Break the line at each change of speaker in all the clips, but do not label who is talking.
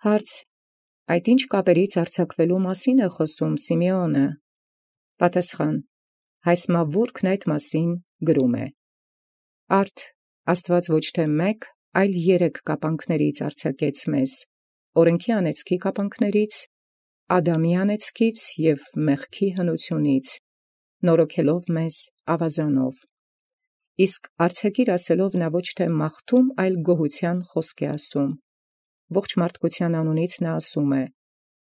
Հարց. այդ ինչ կապերից արձակվելու մասին է խոսում Սիմեոնը։ Պատասխան. հայսմավուրքն այդ մասին գրում է. Արդ Աստված ոչ թե մեկ, այլ 3 կապանքներից արձակեց մեզ. օրենքի անեծքի կապանքներից, Ադամի անեծքից և մեղքի հնությունից, նորոգելով մեզ ավազանով։ Իսկ արձակիր ասելով նա ոչ թե մաղթում, այլ գոհության խոսք է ասում։ Ողջ մարդկության անունից նա ասում է.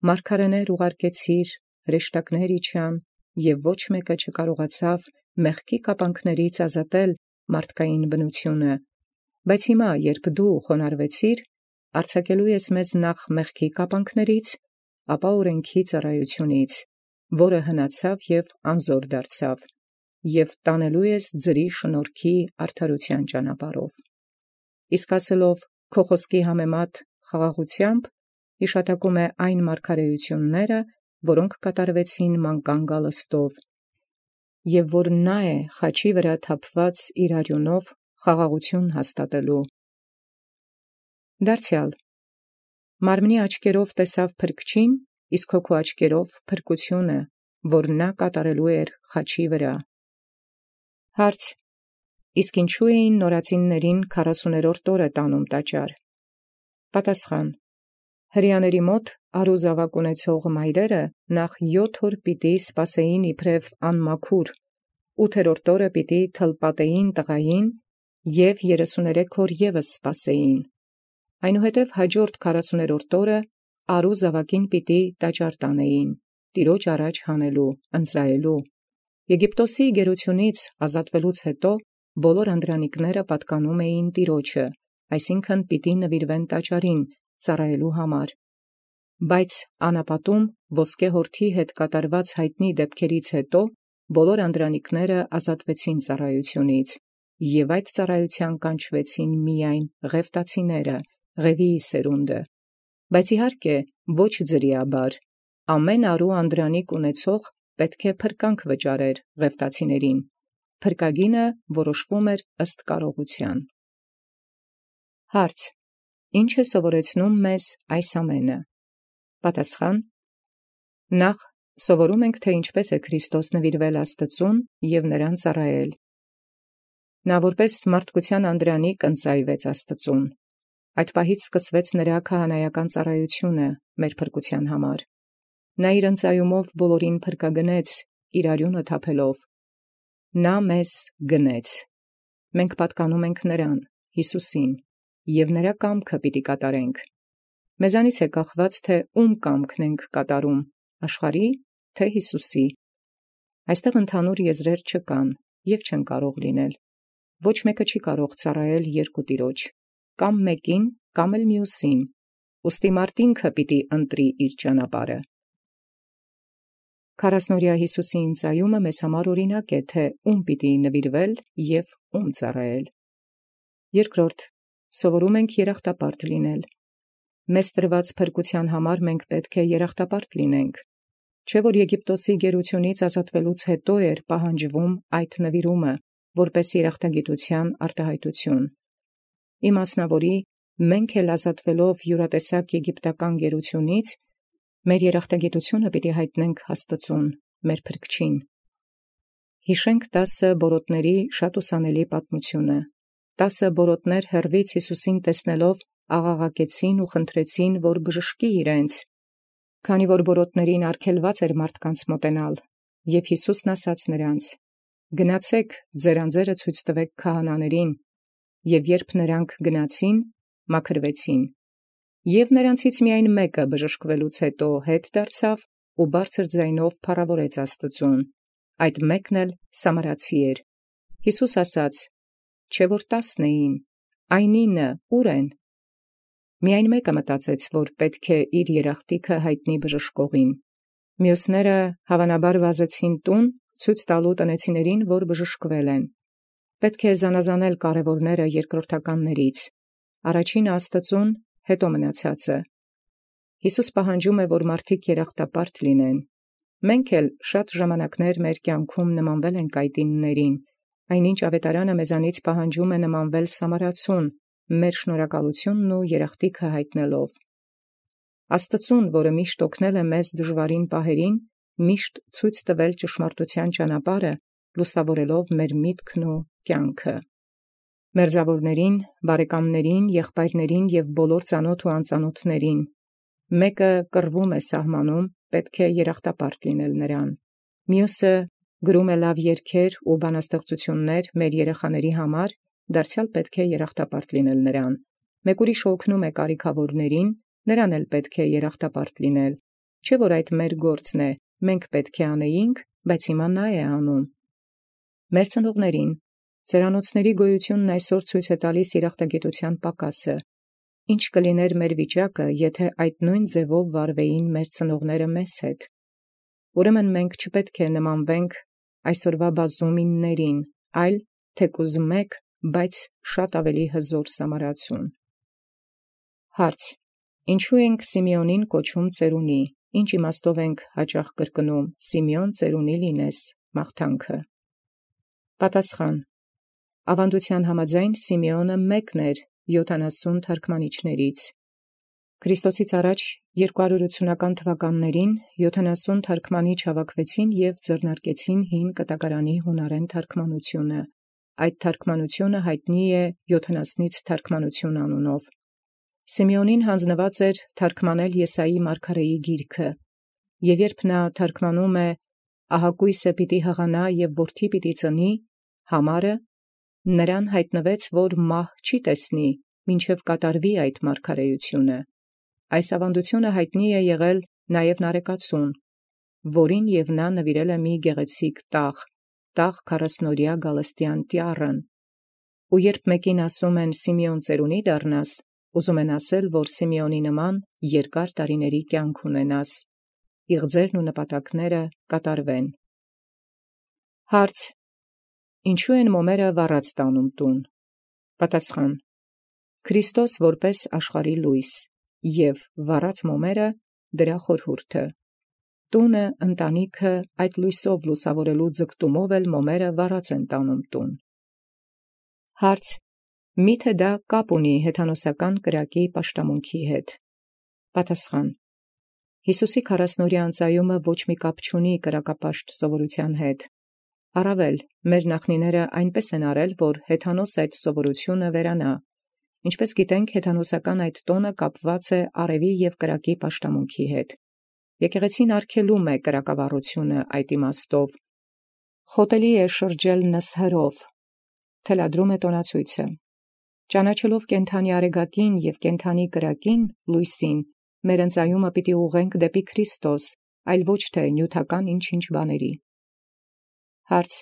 մարգարեներ ուղարկեցիր, հրեշտակներ իջան, և ոչ մեկը չկարողացավ մեղքի կապանքներից ազատել մարդկային բնությունը, բայց հիմա, երբ դու խոնարհվեցիր, արձակելու ես մեզ նախ մեղքի կապանքներից, ապա օրենքի ծառայությունից, որը հնացավ և անզոր դարձավ, և տանելու ես ձրի շնորհքի արդարության ճանապարհով։ Իսկ ասելով քո խոսքի համեմատ խաղաղությամբ, հիշատակում է այն մարգարեությունները, որոնք կատարվեցին մանկան գալստով, և որ նա է խաչի վրա թափված իր արյունով խաղաղություն հաստատելու։ Դարձյալ մարմնի աչքերով տեսավ փրկչին, իսկ հոգու աչքերով փրկությունը, որ նա կատարելու էր խաչի վրա։ Հարց. իսկ ինչու էին նորածիններին 40-րդ օրը տանում տաճար։ Պատասխան. հրեաների մոտ առուզաւակ ունեցող մայրերը նախ 7 օր պիտի սպասեին իբրև անմաքուր, 8-րդ օրը պիտի թլպատեին տղային և 33 օր ևս սպասեին, այնուհետև հաջորդ 40-րդ օրը առուզաւակին պիտի տաճար տանեին, Տիրոջ առաջ հանելու, ընծայելու։ Եգիպտոսի գերությունից ազատվելուց հետո բոլոր անդրանիկները պատկանում էին Տիրոջը, այսինքն պիտի նվիրվեն տաճարին, ծառայելու համար։ Բայց անապատում ոսկե հորթի հետ կատարված հայտնի դեպքերից հետո բոլոր անդրանիկները ազատվեցին ծառայությունից, և այդ ծառայության կանչվեցին միայն ղևտացիները, Ղևիի սերունդը, բայց իհարկե ոչ ձրիաբար, ամեն արու անդրանիկ ունեցող պետք է փրկանք վճարեր ղևտացիներին, փրկագինը որոշվում էր ըստ կարողության։ Հարց. ինչ է սովորեցնում մեզ այս ամենը։ Պատասխան. նախ սովորում ենք, թե ինչպես է Քրիստոս նվիրվել Աստծուն և նրան ծառայել։ Նա որպես մարդկության անդրանիկ ընծայվեց Աստծուն։ Այդ պահից սկսվեց նրա քահանայական ծառայությունը մեր փրկության համար։ Նա իր ընծայումով բոլորին փրկագնեց, իր արյունը թափելով։ Նա մեզ գնեց։ Մենք պատկանում ենք նրան, Հիսուսին, և նրա կամքը պիտի կատարենք։ Մեզանից է կախված, թե ում կամքն ենք կատարում, աշխարհի, թե Հիսուսի։ Այստեղ ընդհանուր եզրեր չկան և չեն կարող լինել։ Ոչ մեկը չի կարող ծառայել երկու Տիրոջ, կամ մեկին, կամ էլ մյուսին, ուստի մարդ ինքը պիտի ընտրի իր ճանապարհը։ 40-օրյա Հիսուսի ընծայումը մեզ համար օրինակ է, թե ում պիտի նվիրվել և ում ծառայել։ Երկրորդ, սովորում ենք երախտապարտ լինել։ Մեզ տրված փրկության համար մենք պետք է երախտապարտ լինենք, չէ՞ որ Եգիպտոսի գերությունից ազատվելուց հետո էր պահանջվում այդ նվիրումը, որպես երախտագիտության արտահայտություն։ Իմասնավորի, մենք էլ ազատվելով յուրատեսակ եգիպտական գերությունից, մեր երախտագիտությունը պիտի հայտնենք Աստծուն, մեր փրկչին։ Հիշենք 10 բորոտների շատ ուսանելի պատմությունը։ 10 բորոտներ հեռվից Հիսուսին տեսնելով աղաղակեցին ու խնդրեցին, որ բժշկի իրենց, քանի որ բորոտներին արգելված էր մարդկանց մոտենալ, և Հիսուսն ասաց նրանց. գնացեք, ձեր անձերը ցույց տվեք քահանաներին, և երբ նրանք գնացին, մաքրվեցին։ Եվ նրանցից միայն մեկը բժշկվելուց հետո հետ դարձավ ու բարձր ձայնով փառավորեց Աստծուն, այդ մեկն էլ սամարացի էր։ Հիսուս ասաց. չէ՞ որ 10 էին, այն 9 ուր են։ Միայն մեկը մտածեց, որ պետք է իր երախտիքը հայտնի բժշկողին։ Մյուսները հավանաբար վազեցին տուն, ցույց տալու տնեցիներին, որ բժշկվել են։ Պետք է զանազանել կարևորները երկրորդականներից, առաջինը Աստծուն, հետո մնացածը։ Հիսուս պահանջում է, որ մարդիկ երախտապարտ լինեն։ Մենք էլ շատ ժամանակներ մեր կյանքում նմանվել ենք այդ 9-ներին, այնինչ ավետարանը մեզանից պահանջում է նմանվել սամարացուն, մեր շնորհակալությունն ու երախտիքը հայտնելով։ Աստծուն, որը միշտ օգնել է մեզ դժվարին պահերին, միշտ ցույց տվել ճշմարտության ճանապարհը, լուսավորելով մեր միտքն ու կյանքը։ Մերձավորներին, բարեկամներին, եղբայրներին եւ բոլոր ծանոթ ու անծանոթներին, մեկը կռվում է սահմանում, պետք է երախտապարտ լինել նրան։ Մյուսը գրում է լավ երգեր ու բանաստեղծություններ մեր երեխաների համար, դարձյալ պետք է երախտապարտ լինել նրան։ Մեկ ուրիշ օգնում է կարիքավորներին, նրան էլ պետք է երախտապարտ լինել։ Չէ՞ որ այդ մեր գործն է, մենք պետք է անեինք, բայց հիմա նա է անում։ Մեր ծնողներին, ծերանոցների գոյությունն այսօր ցույց է տալիս երախտագիտության պակասը։ Ինչ կլիներ մեր վիճակը, եթե այդ նույն ձևով վարվեին մեր ծնողները մեզ հետ։ Ուրեմն մենք չպետք է նմանվենք այսօրվա բազումիններին, այլ թեկուզ մեկ, բայց շատ ավելի հզոր սամարացուն։ Հարց. Ինչու ենք Սիմեոնին կոչում ծերունի, ինչ իմաստով ենք հաճախ կրկնում Սիմեոն ծերունի լինես մաղթանքը։ Պատասխան. Ավանդության համաձայն Սիմեոնը մեկն էր 70 թարգմանիչներից։ Քրիստոսից առաջ 280-ական թվականներին 70 թարգմանիչ հավաքվեցին և ձեռնարկեցին հին կտակարանի հունարեն թարգմանությունը։ Այդ թարգմանությունը հայտնի է 70 թարգմանություն անունով։ Սիմեոնին հանձնված էր թարգմանել Եսայի մարգարեի գիրքը, և երբ նա թարգմանում է «Ահակույսը պիտի հղանա և որդի պիտի ծնի» համարը, նրան հայտնվեց, որ մահ չի տեսնի, մինչև կատարվի այդ մարգարեությունը։ Այս ավանդությունը հայտնի է եղել նաև Նարեկացուն, որին և նա նվիրել է մի գեղեցիկ տաղ 40-օրյա գալստյան տյառն։ Ու երբ մեկին ասում են Սիմեոն ծերունի դառնաս, ուզում են ասել, որ Սիմեոնի նման երկար տարիների կյանք ունենաս, իղձերն ու նպատակները կատարվեն։ Հարց. Ինչու են մոմերը վառած տանում տուն։ Պատասխան. Քրիստոս որպես աշխարհի լույս և վառած մոմերը դրա խորհուրդը։ Տունը, ընտանիքը այդ լույսով լուսավորելու ձգտումով էլ մոմերը վառած են տանում տուն։ Հարց. Միթե դա կապ ունի հեթանոսական կրակի պաշտամունքի հետ։ Պատասխան. Հիսուսի 40-օրյա անծայումը ոչ մի կապ չունի կրակապաշտ սովորության հետ։ Առավել, մեր նախնիները այնպես են արել, որ հեթանոս այդ սովորությունը վերանա։ Ինչպես գիտենք, հեթանոսական այդ տոնը կապված է արևի և կրակի պաշտամունքի հետ։ Եկեղեցին արգելում է կրակավառությունը այդ իմաստով։ Խոտելի է շրջել նսհրով, թելադրում է տոնացույցը։ Ճանաչելով կենդանի արեգակին և կենդանի կրակին, լույսին, մեր ընծայումը պիտի ուղղենք դեպի Քրիստոս, այլ ոչ թե նյութական ինչ-ինչ բաների։ Հարց.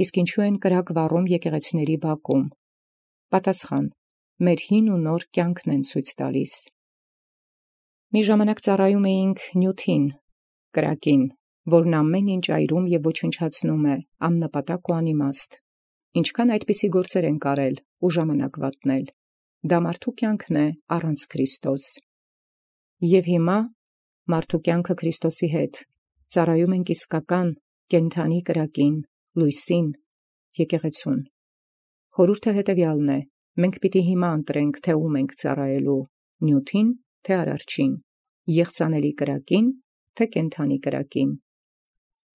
իսկ ինչու են կրակ վառում եկեղեցիների բակում։ Պատասխան. մեր հին ու նոր կյանքն են ցույց տալիս։ Մի ժամանակ ծառայում էինք նյութին, կրակին, որն ամեն ինչ այրում և ոչնչացնում է, աննպատակ ու անիմաստ։ Ինչքան այդպիսի գործեր ենք արել ու ժամանակ վատնել։ Դա մարդու կյանքն է առանց Քրիստոս։ Եվ հիմա մարդու կյանքը Քրիստոսի հետ ծառայում ենք իսկական կենդանի կրակին, լույսին, եկեղեցուն։ Խորհուրդը հետևյալն է. մենք պիտի հիմա ընտրենք, թե ում ենք ծառայելու, նյութին, թե արարչին, եղծանելի կրակին, թե կենդանի կրակին։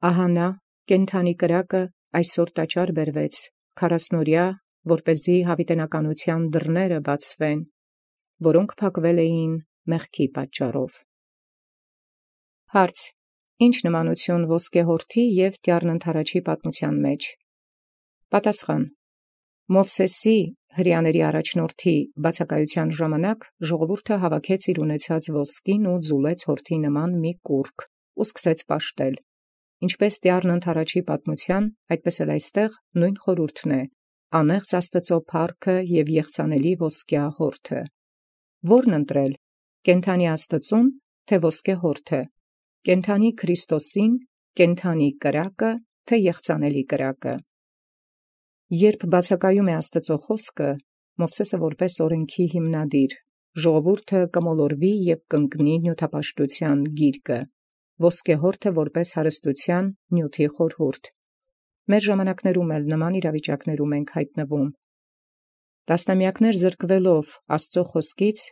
Ահա նա, կենդանի կրակը, այսօր տաճար բերվեց, 40-օրյա, որպեսզի հավիտենականության դռները բացվեն, որոնք փակվել էին մեղքի պատճառով։ Հարց. ինչ նմանություն ոսկեհորթի և տյառն-ընդառաջի պատմության մեջ։ Պատասխան. Մովսեսի հրեաների առաջնորդի բացակայության ժամանակ ժողովուրդը հավաքեց իր ունեցած ոսկին ու ձուլեց հորթի նման մի կուռք ու սկսեց պաշտել։ Ինչպես տյառն-ընդառաջի պատմության, այդպես էլ այստեղ նույն խորհուրդն է. անեղծ Աստծո փառքը և եղծանելի ոսկյա հորթը։ Ո՞րն ընտրել, կենդանի Աստծուն, թե ոսկե հորթը, կենդանի Քրիստոսին, կենդանի կրակը, թե եղծանելի կրակը։ Երբ բացակայում է Աստծո խոսքը, Մովսեսը որպես օրենքի հիմնադիր, ժողովուրդը կմոլորվի և կընկնի նյութապաշտության գիրկը, ոսկե հորթը որպես հարստության նյութի խորհուրդ։ Մեր ժամանակներում էլ նման իրավիճակներում ենք հայտնվում։ Տասնամյակներ զրկվելով Աստծո խոսքից,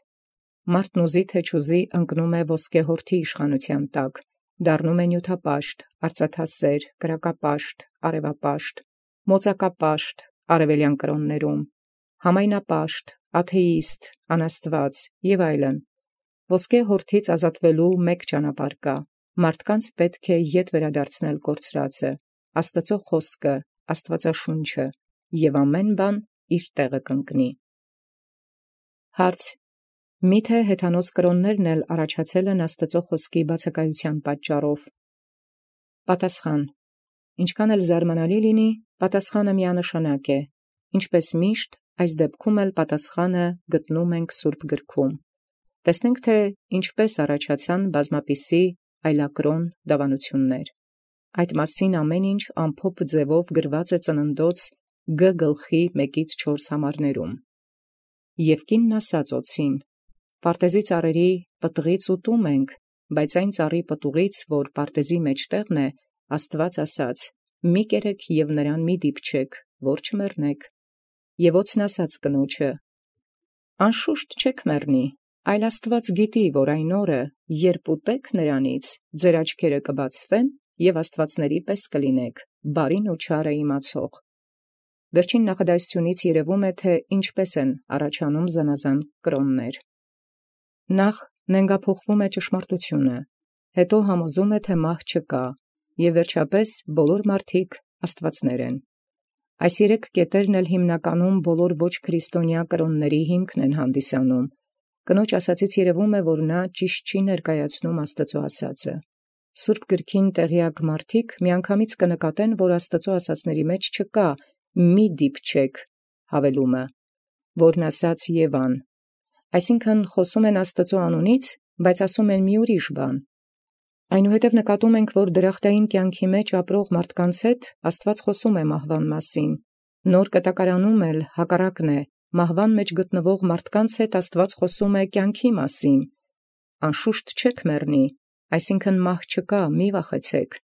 Մարդն ուզի թե չուզի ընկնում է ոսկե հորթի իշխանութեան տակ, դառնում է նյութապաշտ, արծաթասեր, կրակապաշտ, արևապաշտ, մոծակապաշտ արևելյան կրոններում, համայնապաշտ, աթեիստ, անաստված եւ այլն։ Ոսկե հորթից ազատվելու մեկ ճանապարհ կա. մարդկանց պետք է ետ վերադարձնել կորցրածը, Աստծո խոսքը, Աստվածաշունչը, եւ ամեն բան իր տեղը կընկնի։ Հարց. Միթե հեթանոս կրոններն էլ առաջացել են Աստծո խոսքի բացակայության պատճառով։ Պատասխան. ինչքան էլ զարմանալի լինի, պատասխանը միանշանակ է։ Ինչպես միշտ, այս դեպքում էլ պատասխանը գտնում ենք Սուրբ գրքում։ Տեսնենք, թե ինչպես առաջացան բազմապիսի այլակրոն դավանություններ։ Այդ մասին ամեն ինչ ամփոփ ձևով գրված է Ծննդոց Գ գլխի 1-4 համարներում։ Եվ կինն ասաց օձին. «Պարտեզի ծառերի պտղից ուտում ենք, բայց այն ծառի պտուղից, որ պարտեզի մեջտեղն է, Աստված ասաց. մի կերեք և նրան մի դիպչեք, որ չմեռնեք։ Եվ օձն ասաց կնոջը. անշուշտ չեք մեռնի, այլ Աստված գիտի, որ այն օրը, երբ ուտեք նրանից, ձեր աչքերը կբացվեն և աստվածների պես կլինեք, բարին ու չարը իմացող»։ Վերջին նախադասությունից երևում է, թե ինչպես են առաջանում զանազան կրոններ։ Նախ նենգափոխվում է ճշմարտությունը, հետո համոզում է, թե մահ չկա, և վերջապես բոլոր մարդիկ աստվածներ են։ Այս երեք կետերն էլ հիմնականում բոլոր ոչ քրիստոնյա կրոնների հիմքն են հանդիսանում։ Կնոջ ասացից երևում է, որ նա ճիշտ չի ներկայացնում Աստծո ասածը։ Սուրբ գրքին տեղյակ մարդիկ միանգամից կնկատեն, որ Աստծո ասածների մեջ չկա մի դիպչեք հավելումը, որն ասաց Եվան։ Այսինքն խոսում են Աստծո անունից, բայց ասում են մի ուրիշ բան։ Այնուհետև նկատում ենք, որ դրախտային կյանքի մեջ ապրող մարդկանց հետ Աստված խոսում է մահվան մասին։ Նոր կտակարանում էլ հակառակն է, մահվան մեջ գտնվող մարդկանց հետ Աստված խոսում է կյանքի մասին։ Անշուշտ չեք մեռնի, այսինքն մահ չկա, մի վախեցեք։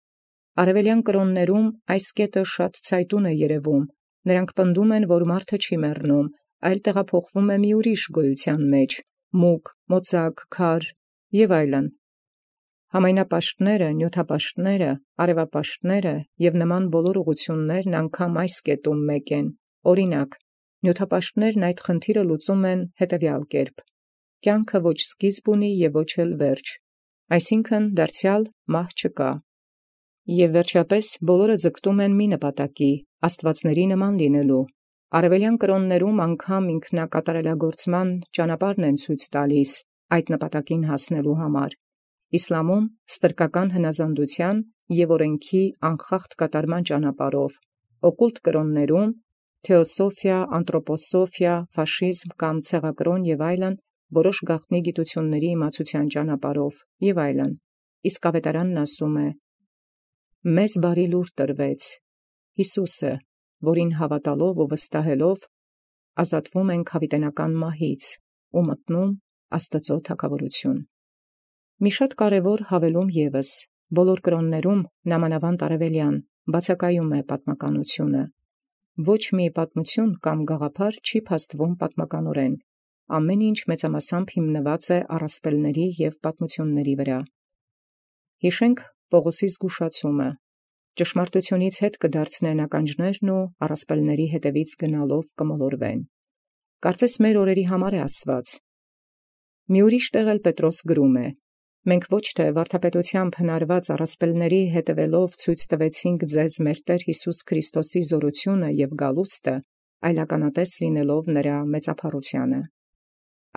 Արևելյան կրոններում այս կետը շատ ցայտուն է երևում։ Նրանք պնդում են, որ մարդը չի մեռնում, այլ տեղափոխվում է մի ուրիշ գոյության մեջ, մուկ, մոծակ, քար եւ այլն։ Համայնապաշտները, նյութապաշտները, արևապաշտները եւ նման բոլոր ուղղություններն անգամ այս կետում մեկ են։ Օրինակ, նյութապաշտներն այդ խնդիրը լուծում են հետևյալ կերպ. կյանքը ոչ սկիզբ ունի եւ ոչ էլ վերջ, այսինքն դարձյալ մահ չկա։ Եվ վերջապես բոլորը ձգտում են մի նպատակի՝ աստվածների նման լինելու։ Արևելյան կրոններում անգամ ինքնակատարելագործման ճանապարհն են ցույց տալիս այդ նպատակին հասնելու համար։ Իսլամում ստրկական հնազանդության եւ օրենքի անխախտ կատարման ճանապարհով, օկուլտ կրոններում թեոսոֆիա, անտրոպոսոֆիա, ֆաշիզմ կամ ցեղակրոն եւ այլն, որոշ գաղտնի գիտությունների իմացության ճանապարհով եւ այլն։ Իսկ ավետարանն ասում է. մեզ բարի լուր տրվեց, Հիսուսը, որին հավատալով ու վստահելով ազատվում ենք հավիտենական մահից ու մտնում Աստծո թագավորություն։ Մի շատ կարևոր հավելում ևս, բոլոր կրոններում, նամանավանդ արևելյան, բացակայում է պատմականությունը։ Ոչ մի պատմություն կամ գաղափար չի փաստվում պատմականորեն։ Ամեն ինչ մեծամասամբ հիմնված է առասպելների եւ պատմությունների վրա։ Հիշենք Պողոսի զգուշացումը. ճշմարտությունից հետ կդարձնեն ականջներն ու առասպելների հետևից գնալով կմոլորվեն։ Կարծես մեր օրերի համար է ասված։ Մի ուրիշ տեղ էլ Պետրոս գրում է. մենք ոչ թե վարդապետությամբ հնարված առասպելների հետևելով ցույց տվեցինք ձեզ մեր Տեր Հիսուս Քրիստոսի զորությունը եւ գալուստը, այլ ականատես լինելով նրա մեծափառությանը։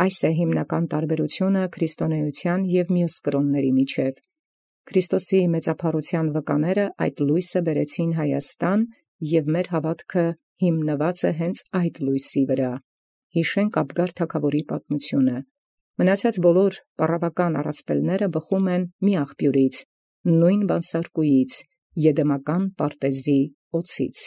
Այս է հիմնական տարբերությունը քրիստոնեության եւ մյուս կրոնների միջև։ Քրիստոսի մեծափառության վկաները այդ լույսը բերեցին Հայաստան եւ մեր հավատքը հիմնված է հենց այդ լույսի վրա։ Հիշենք Աբգար թագավորի պատմությունը։ Մնացած բոլոր պարավական առասպելները բխում են մի աղբյուրից, նույն բանսարկուից, Եդեմական պարտեզի օձից։